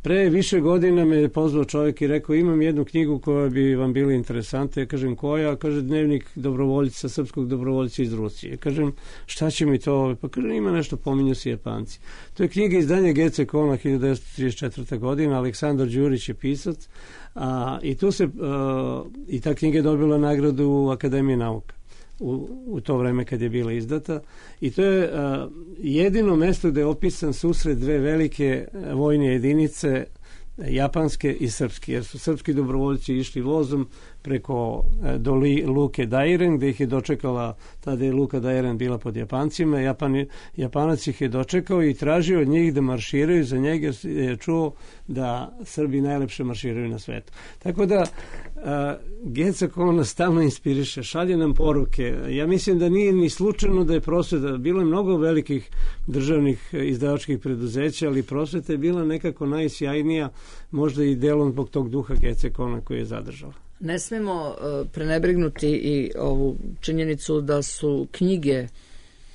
Speaker 4: Pre više godina me je pozvao čovjek i rekao, imam jednu knjigu koja bi vam bila interesantna. Ja kažem, koja? Kaže, dnevnik dobrovoljica, srpskog dobrovoljca iz Rusije. Kažem, šta će mi to? Pa kaže, ima nešto, pominju se Japanci. To je knjiga izdanja G C Kona, hiljadu devetsto trideset četvrta godina, Aleksandar Đurić je pisac, a, i tu se, a, i ta knjiga je dobila nagradu Akademije nauka u, u to vreme kad je bila izdata, i to je a, jedino mesto gde je opisan susret dve velike vojne jedinice, japanske i srpske, jer su srpski dobrovoljci išli vozom preko do luke Dairen, gde ih je dočekala, tada je luka Dairen bila pod Japancima. Japan, Japanac ih je dočekao i tražio od njih da marširaju za njega, jer je čuo da Srbi najlepše marširaju na svetu. Tako da G C Kona stalno inspiriše, šalje nam poruke. Ja mislim da nije ni slučajno da je prosveta, bilo je mnogo velikih državnih izdavačkih preduzeća, ali prosveta je bila nekako najsjajnija, možda i delom zbog tog duha G C Kona koji je zadržala.
Speaker 3: Ne smemo uh, prenebregnuti i ovu činjenicu da su knjige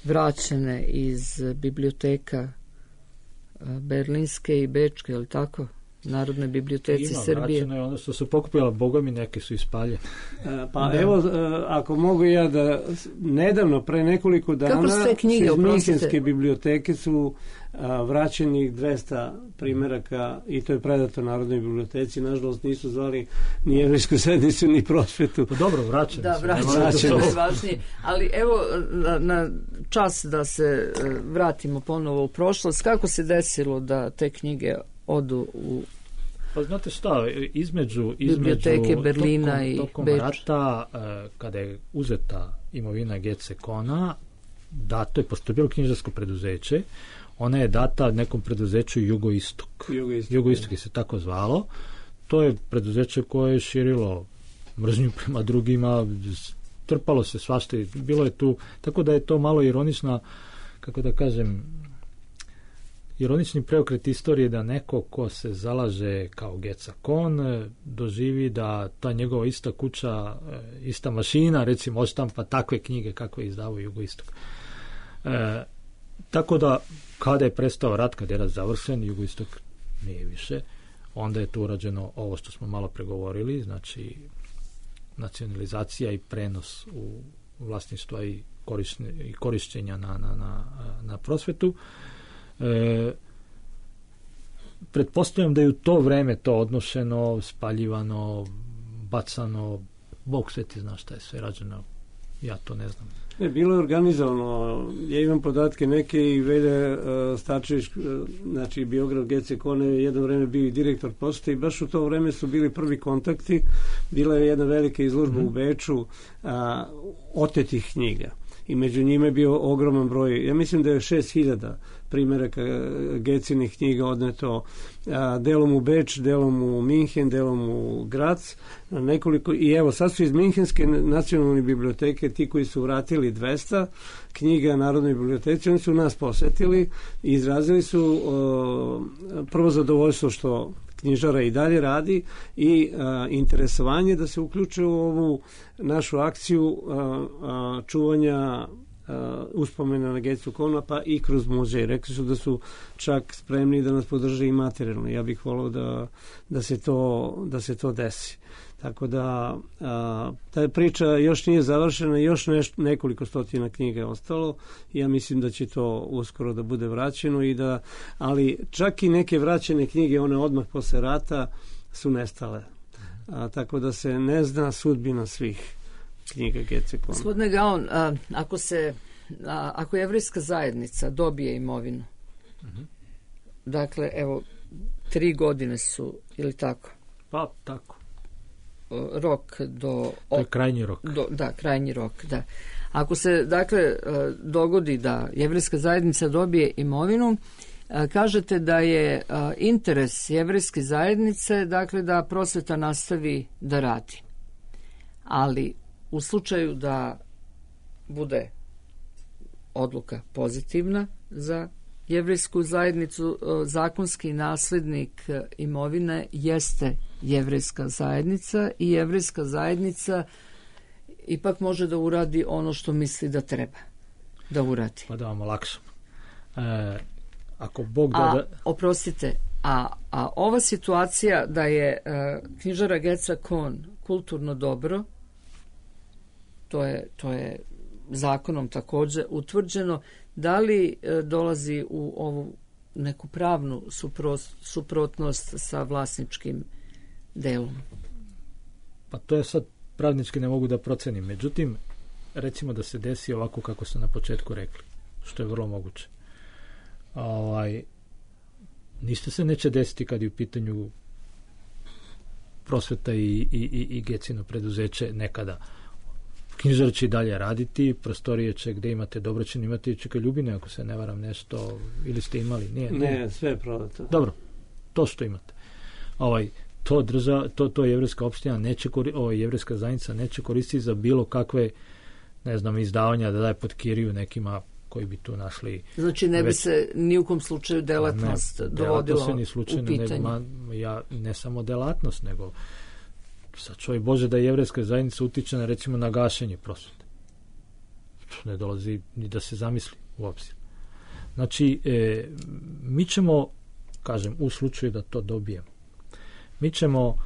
Speaker 3: vraćene iz biblioteka uh, Berlinske i Bečke, ili tako? Narodne biblioteci
Speaker 5: Ima,
Speaker 3: Srbije.
Speaker 5: vraćeno je ono što su pokupila, boga mi neke su ispaljene.
Speaker 4: Pa da. Evo, ako mogu ja da, nedavno, pre nekoliko dana,
Speaker 3: knjige,
Speaker 4: iz Minhenske biblioteke su a, vraćeni dvesta primeraka i to je predato Narodnoj biblioteci. Nažalost nisu zvali ni Jevrejsku zajednicu ni prosvetu.
Speaker 5: Pa dobro, vraćeni
Speaker 3: da,
Speaker 5: su.
Speaker 3: vraćeni su najvažnije. Ali evo, na, na čas da se vratimo ponovo u prošlost, kako se desilo da te knjige odu u
Speaker 5: pa znate šta, između,
Speaker 3: biblioteke
Speaker 5: između
Speaker 3: Berlina
Speaker 5: tokom,
Speaker 3: i
Speaker 5: tokom
Speaker 3: Beča.
Speaker 5: rata, eh, kada je uzeta imovina G C Kona, dato je, pošto je bilo knjižarsko preduzeće, ona je data nekom preduzeću Jugoistok.
Speaker 4: Jugoistok,
Speaker 5: Jugoistok je se tako zvalo. To je preduzeće koje je širilo mržnju prema drugima, trpalo se svašta, bilo je tu, tako da je to malo ironična, kako da kažem, ironični preokret istorije da neko ko se zalaže kao G C Kon doživi da ta njegova ista kuća, ista mašina, recimo, odštampa takve knjige kakve izdavao Jugoistok. E, tako da, kada je prestao rat, kada je rat završen, Jugoistok nije više, onda je tu urađeno ovo što smo malo pregovorili, znači nacionalizacija i prenos u vlasništva i, i korišćenja na, na, na, na prosvetu. E, pretpostavljam da je u to vreme to odnošeno, spaljivano, bacano, Bog sveti zna šta je sve rađeno, ja to ne znam.
Speaker 4: Ne, bilo je organizovano, ja imam podatke neke i Velja uh, Starčević, uh, znači biograf G C Kone, je jedno vreme bio i direktor pošte i baš u to vreme su bili prvi kontakti, bila je jedna velika izložba mm. u Beču uh, otetih knjiga. I među njima je bio ogroman broj, ja mislim da je šest hiljada primjeraka Gecinih knjiga odneto a, delom u Beč, delom u Minhen, delom u Grac, nekoliko, i evo sad su iz Minhenske nacionalne biblioteke ti koji su vratili dvesta knjiga Narodnoj biblioteci, oni su nas posetili i izrazili su o, prvo zadovoljstvo što knjižara i dalje radi i a, interesovanje da se uključe u ovu našu akciju a, a, čuvanja a, uspomena na G C Kona, pa i kroz muzej. Rekli su da su čak spremni da nas podrže i materijalno. Ja bih volao da, da, se to, da se to desi. Tako da a, ta priča još nije završena, još neš, nekoliko stotina knjiga je ostalo. Ja mislim da će to uskoro da bude vraćeno i da, ali čak i neke vraćene knjige, one odmah posle rata, su nestale. A, tako da se ne zna sudbina svih knjiga G C Kona.
Speaker 3: Gospodine Gaon, a, ako se a, ako jevrejska zajednica dobije imovinu, uh-huh. dakle, evo, tri godine su, ili tako?
Speaker 5: Pa, tako.
Speaker 3: Rok do...
Speaker 5: To je krajnji rok.
Speaker 3: Do, da, krajnji rok, da. Ako se, dakle, dogodi da jevrejska zajednica dobije imovinu, kažete da je interes jevrejske zajednice, dakle, da prosveta nastavi da radi. Ali u slučaju da bude odluka pozitivna za jevrejsku zajednicu, zakonski naslednik imovine jeste jevrejska zajednica i jevrejska zajednica ipak može da uradi ono što misli da treba da uradi.
Speaker 5: Pa da vam olakšam. E, ako Bog da...
Speaker 3: A,
Speaker 5: da...
Speaker 3: oprostite, a, a ova situacija da je uh, knjižara Geca Kohn kulturno dobro, to je, to je zakonom također utvrđeno, da li uh, dolazi u ovu neku pravnu suprost, suprotnost sa vlasničkim delom?
Speaker 5: Pa to je sad pravnički ne mogu da procenim. Međutim, recimo da se desi ovako kako ste na početku rekli, što je vrlo moguće. Ovaj, ništa se neće desiti kad je u pitanju prosveta i, i, i, i Gecino preduzeće nekada. Knjižara će i dalje raditi, prostorije će gde imate Dobroćin, imate i Čeka Ljubine, ako se ne varam nešto, ili ste imali? Nije,
Speaker 4: ne, ne, sve je prodato.
Speaker 5: Dobro, to što imate. Ovaj, to drža, to, to jevrejska opština neće, ovaj, jevrejska zajednica neće koristiti za bilo kakve, ne znam, izdavanja da daje pod kiriju nekima koji bi tu našli... Znači
Speaker 3: ne bi već... se ni u kom slučaju delatnost ne, dovodila se ni slučajno, u pitanje.
Speaker 5: Ne, ma, ja, ne samo delatnost, nego sad čovjek Bože da jevrejska zajednica utiče na, recimo, na gašenje prosvete. Ne dolazi ni da se zamisli u obzir. Znači, e, mi ćemo, kažem, u slučaju da to dobijemo, mi ćemo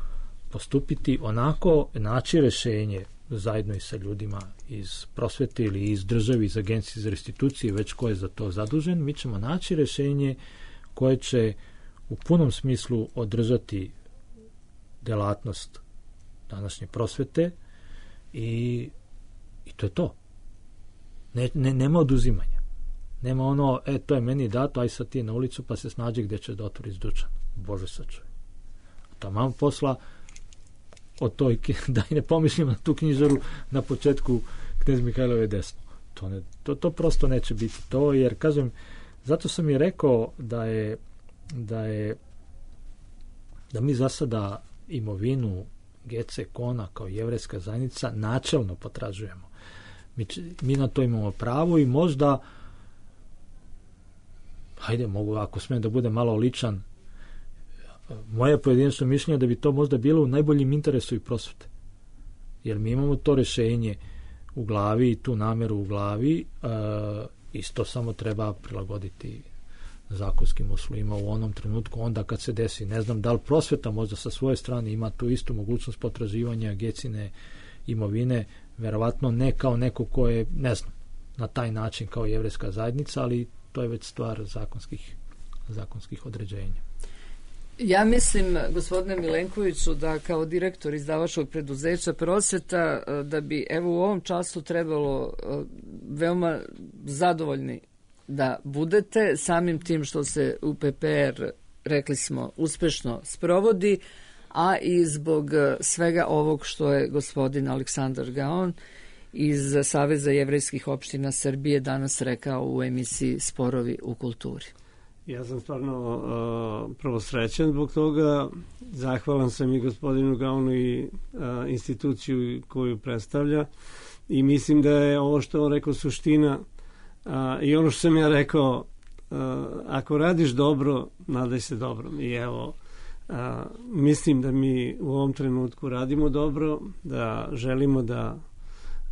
Speaker 5: postupiti onako, naći rešenje zajedno i sa ljudima iz prosvete ili iz države, iz agencije za restitucije, već ko je za to zadužen, mi ćemo naći rešenje koje će u punom smislu održati delatnost današnje prosvete i, i to je to. Ne, ne, nema oduzimanja. Nema ono, e, to je meni dato, aj sad ti na ulicu pa se snađi gde će da otvoriš dućan. Bože sačuvaj. Tamo posla od toj, da i ne pomišljam na tu knjižaru na početku Knez Mihajlove desno. To, ne, to, to prosto neće biti to, jer kažem, zato sam i rekao da je da je da mi za sada imovinu Gece Kohna kao jevrejska zajednica načelno potražujemo. Mi, mi na to imamo pravo i možda hajde, mogu, ako smijem da bude malo ličan, moje pojedinačno mišljenje da bi to možda bilo u najboljem interesu i prosvete. Jer mi imamo to rešenje u glavi i tu nameru u glavi, e, isto samo treba prilagoditi zakonskim uslovima u onom trenutku, onda kad se desi. Ne znam da li prosveta možda sa svoje strane ima tu istu mogućnost potraživanja Gecine imovine, verovatno ne kao neko ko je, ne znam, na taj način kao jevrejska zajednica, ali to je već stvar zakonskih, zakonskih određenja.
Speaker 3: Ja mislim, gospodine Milenkoviću, da kao direktor izdavačkog preduzeća prosveta, da bi evo u ovom času trebalo veoma zadovoljni da budete samim tim što se U P P R, rekli smo, uspešno sprovodi, a i zbog svega ovog što je gospodin Aleksandar Gaon iz Saveza jevrejskih opština Srbije danas rekao u emisiji Sporovi u kulturi.
Speaker 4: Ja sam stvarno uh, prvo srećan zbog toga. Zahvalan sam i gospodinu Gaonu i uh, instituciju koju predstavlja i mislim da je ovo što on rekao suština uh, i ono što sam ja rekao, uh, ako radiš dobro, nadaj se dobrom. I evo, uh, mislim da mi u ovom trenutku radimo dobro, da želimo da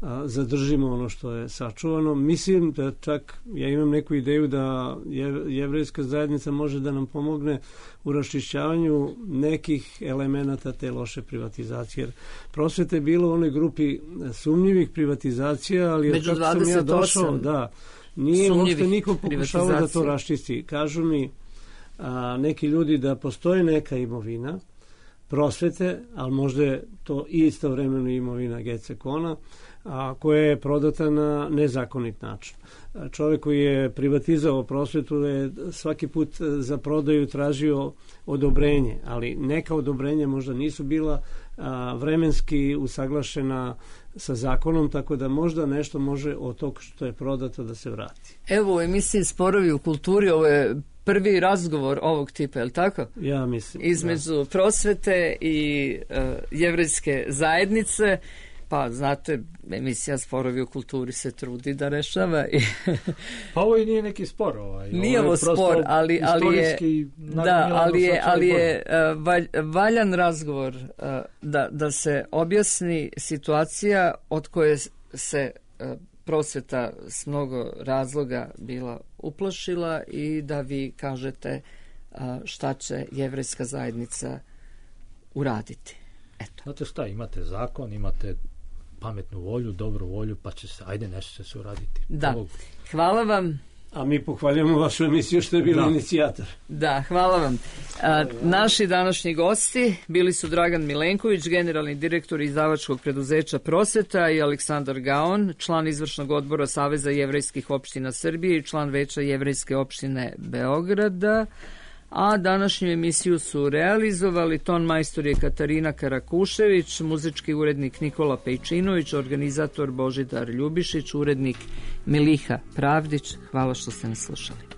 Speaker 4: a, zadržimo ono što je sačuvano. Mislim da čak, ja imam neku ideju da je, jevrejska zajednica može da nam pomogne u raščišćavanju nekih elemenata te loše privatizacije. Jer prosvete je bilo u onoj grupi sumnjivih privatizacija, ali
Speaker 3: među
Speaker 4: kako sam ja došao, da, nije uopšte niko pokušao da to raščisti. Kažu mi a, neki ljudi da postoji neka imovina prosvete, ali možda je to istovremeno imovina Gece Kohna, a koja je prodata na nezakonit način. Čovjek koji je privatizao prosvetu je svaki put za prodaju tražio odobrenje, ali neka odobrenja možda nisu bila a, vremenski usaglašena sa zakonom, tako da možda nešto može od tog što je prodato da se vrati.
Speaker 3: Evo u emisiji Sporovi u kulturi, ovo je prvi razgovor ovog tipa, je li tako?
Speaker 4: Ja mislim.
Speaker 3: Između da. prosvete i uh, jevrejske zajednice. Pa, znate, emisija Sporovi u kulturi se trudi da rešava. I
Speaker 5: Pa ovo i nije neki spor. Ovaj.
Speaker 3: nije ovo
Speaker 5: prosto
Speaker 3: spor, ali, ali je,
Speaker 5: istorijski
Speaker 3: da, ali je,
Speaker 5: socijalni
Speaker 3: ali je
Speaker 5: problem.
Speaker 3: uh, valj, valjan razgovor uh, da, da se objasni situacija od koje se uh, prosveta s mnogo razloga bila uplašila i da vi kažete uh, šta će jevrejska zajednica uraditi. Eto.
Speaker 5: Znate šta, imate zakon, imate pametnu volju, dobru volju, pa će se, ajde, nešto će se uraditi.
Speaker 3: Da,
Speaker 5: Ovo-
Speaker 3: hvala vam.
Speaker 4: A mi pohvaljujemo vašu emisiju što je bila
Speaker 5: Da.
Speaker 4: inicijator.
Speaker 3: Da, hvala vam. A, naši današnji gosti bili su Dragan Milenković, generalni direktor izdavačkog preduzeća Prosveta, i Aleksandar Gaon, član izvršnog odbora Saveza jevrejskih opština Srbije i član veća jevrejske opštine Beograda. A današnju emisiju su realizovali ton majstor je Katarina Karakušević, muzički urednik Nikola Pejčinović, organizator Božidar Ljubišić, urednik Miliha Pravdić. Hvala što ste nas slušali.